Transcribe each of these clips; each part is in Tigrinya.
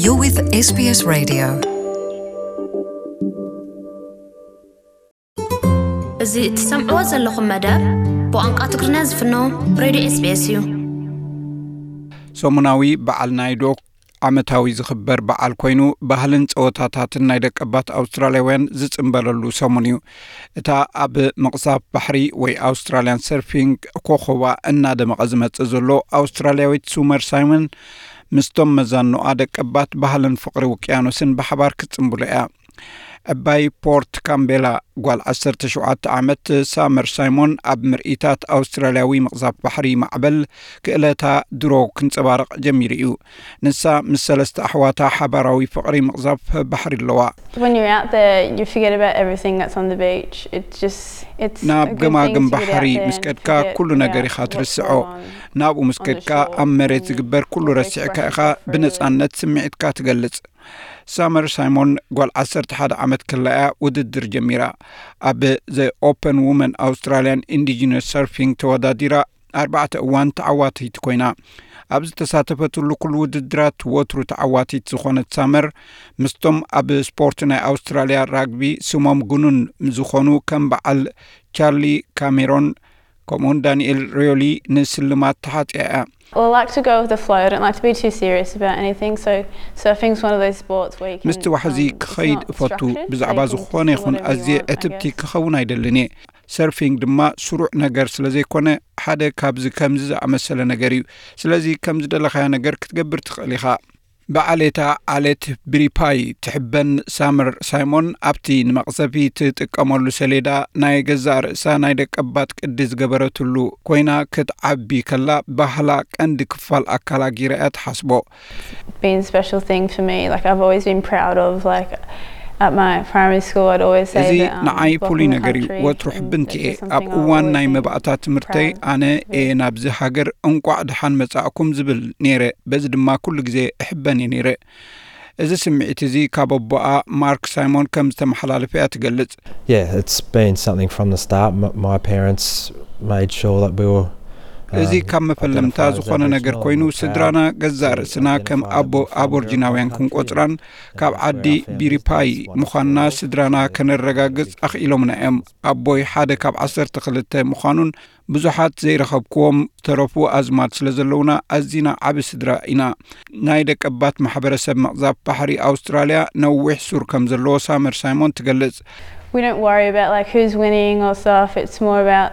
You're with S B S Radio. እዚ እትሰምዕዎ ዘለኹም መደብ ብቋንቋ ትግርኛ ዝፍኖ ሬድዮ S B S እዩ። ሰሙናዊ በዓል ናይ ዶክ ዓመታዊ ዝኽበር በዓል ኮይኑ፣ ባህልን ጸወታታትን ናይ ደቀባት ኣውስትራልያውያን ዝጽንበለሉ ሰሙን እዩ። እታ ኣብ ምቕዛፍ ባሕሪ ወይ ኣውስትራልያን ሰርፊንግ ኮኾባ እናደመቐ ዝመጽእ ዘሎ ኣውስትራልያዊት ሱመር ሳይመን ምስቶም መዛኖኣ ደቀባት ባህልን ፍቕሪ ውቅያኖስን ብሓባር ክትጽንብሎ እያ። ዕባይ ፖርት ካምቤላ ጓል ዓሰርተ ሸውዓተ ዓመት ሳመር ሳይሞን ኣብ ምርኢታት ኣውስትራልያዊ ምቕዛፍ ባሕሪ ማዕበል ክእለታ ድሮ ክንጸባረቕ ጀሚሩ እዩ። ንሳ ምስ ሰለስተ ኣሕዋታ ሓባራዊ ፍቕሪ ምቕዛፍ ባሕሪ ኣለዋ። When you're out there, you forget about everything that's on the beach. It's just, it's a ናብ good ገማግም thing to get out ባሕሪ there ምስ and ከድካ forget ኩሉ ነገር about ኢኻ what's ትርስዖ። going on. ናብኡ ምስ ከድካ ኣብ መሬት ዝግበር ኩሉ ረሲዕካ ኢኻ ብነጻነት ስምዒትካ ትገልጽ። ሳመር ሳይሞን ጓል ዓሰርተ ሓደ ዓመት ከላ እያ ውድድር ጀሚራ። ኣብ The Open Women Australian Indigenous Surfing ተወዳዲራ ኣርባዕተ እዋን ተዓዋቲት ኮይና። ኣብ ዝተሳተፈትሉ ኩሉ ውድድራት ወትሩ ተዓዋቲት ዝኾነት ሳመር ምስቶም ኣብ ስፖርት ናይ ኣውስትራልያ ራግቢ ስሞም ግኑን ዝኾኑ ከም በዓል ቻርሊ ካሜሮን ከምኡውን ዳንኤል ሪዮሊ ንስልማት ተሓጽያ እያ። Well, I like to go with the flow. I don't like to be too serious about anything. So surfing's one of those sports where you can ምስቲ ዋሕዚ um, it's ክኸይድ not እፈቱ። structured, so ብዛዕባ you can ዝኾነ do ይኹን whatever you ኣዝየ want, I ዕትብቲ guess. ክኸውን ኣይደልን እየ። ሰርፊንግ ድማ ስሩዕ ነገር ስለ ዘይኮነ ሓደ ካብዚ ከምዚ ዝኣመሰለ ነገር እዩ። ስለዚ ከም ዝደለኻዮ ነገር ክትገብር ትኽእል ኢኻ። ብዓሌታ ዓሌት ብሪፓይ ትሕበን ሳመር ሳይሞን ኣብቲ ንመቕዘፊ ትጥቀመሉ ሰሌዳ ናይ ገዛእ ርእሳ ናይ ደቀባት ቅዲ ዝገበረትሉ ኮይና ክትዓቢ ከላ ባህላ ቀንዲ ክፋል ኣካላ ጊራ እያ ትሓስቦ። Been a special thing for me. Like I've always been proud of. Like at my primary school, I'd always say እዚ that um, ንዓይ ፍሉይ blocking the ነገር እዩ። country ወትሩ and ሕብንቲ it's እየ። just ኣብ something I've እዋን always ናይ been መባእታ ትምህርተይ proud ኣነ of. እየ ናብዚ ሃገር እንቋዕ ደሓን መጻእኩም ዝብል ነይረ። በዚ ድማ ኩሉ ግዜ እሕበን እየ ነይረ። እዚ ስምዒት እዚ ካብ ኣቦኣ ማርክ ሳይሞን ከም ዝተመሓላለፈ እያ ትገልጽ። Yeah, it's been something from the start. M- my parents made sure that we were. እዚ um, ካብ መፈለምታ identified as ዝኾነ ነገር Aboriginal ኮይኑ and were proud ስድራና to ገዛእ ርእስና ከም identify ኣቦ that we were from the ኣቦርጂናውያን Aboriginal country. ክንቆጽራን ካብ ዓዲ ቢሪፓይ ምዃንና ስድራና ከነረጋግጽ ኣኽኢሎምና እዮም። ኣቦይ ሓደ ካብ ዓሰርተ ክልተ ምዃኑን ብዙሓት ዘይረኸብክዎም ተረፉ ኣዝማድ ስለ ዘለውና ኣዚና ዓቢ ስድራ ኢና። ናይ ደቀባት ማሕበረሰብ መቕዛፍ ባሕሪ ኣውስትራልያ ነዊሕ ሱር ከም ዘለዎ ሳመር ሳይሞን ትገልጽ። We don't worry about like who's winning or stuff. It's more about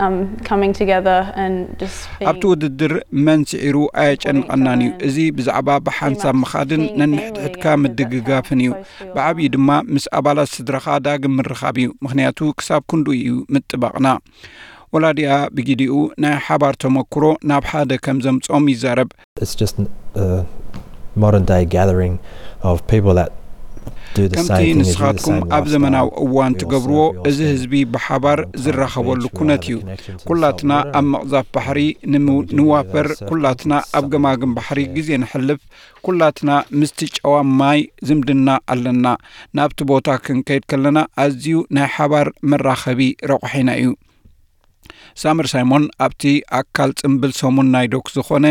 um, coming together and just being. ኣብቲ ውድድር መን ስዒሩ ኣየጨንቐናን እዩ። እዚ ብዛዕባ ብሓንሳብ ምኻድን ነንሕድሕድካ ምድግጋፍን እዩ። ብዓብዩ ድማ ምስ ኣባላት ስድራኻ ዳግም ምርኻብ እዩ። ምኽንያቱ ክሳብ ክንድኡ እዩ ምጥባቕና። ወላዲኣ ብጊዲኡ ናይ ሓባር ተመክሮ ናብ ሓደ ከም ዘምጾም ይዛረብ። It's just a modern day gathering of people that do the ከምቲ same thing as you, the ንስኻትኩም same ኣብ ዘመናዊ lifestyle. እዋን We all ትገብርዎ surf, we all እዚ spend, ህዝቢ ብሓባር um, time at the ዝራኸበሉ beach, we all ኩነት have a እዩ። connection to the ኩላትና salt water, ኣብ and መቕዛፍ ባሕሪ when we do ንወፈር፣ the surfing, ኩላትና it's just ኣብ something ገማግም that ባሕሪ we share. ግዜ ንሕልፍ፣ ኩላትና ምስቲ ጨዋ ማይ ዝምድና ኣለና። ናብቲ ቦታ ክንከይድ ከለና ኣዝዩ ናይ ሓባር መራኸቢ ረቑሒና እዩ። ሳመር ሳይሞን ኣብቲ ኣካል ጽምብል ሰሙን ናይ ዶክ ዝኾነ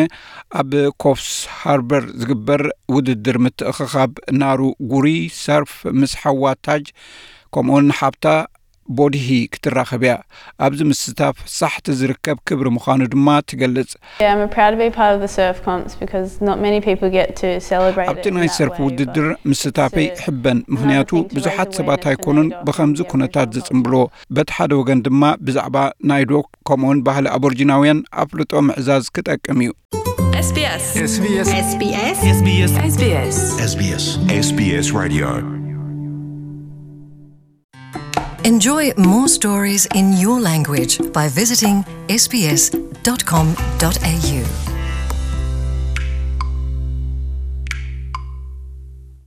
ኣብ ኮፍስ ሃርበር ዝግበር ውድድር ምትእኽኻብ ናሩ ጉሪ ሰርፍ ምስ ሓዋ ታጅ ከምኡውን ሓብታ ቦድሂ ክትራኸብ እያ። ኣብዚ ምስታፍ ሳሕቲ ዝርከብ ክብሪ ምዃኑ ድማ ትገልጽ። Yeah, I'm proud to be part of the surf comps because not many people get to celebrate ኣብቲ ናይ ሰርፍ ውድድር ምስታፈይ ሕበን፣ ምኽንያቱ ብዙሓት ሰባት ኣይኮኑን ብኸምዚ ኩነታት ዝጽንብሎ። በቲ ሓደ ወገን ድማ ብዛዕባ ናይ ዶክ ከምኡውን ባህሊ ኣቦርጂናውያን ኣፍልጦ ምዕዛዝ ክጠቅም እዩ። SBS SBS SBS SBS SBS Radio Enjoy more stories in your language by visiting S B S dot com dot A U.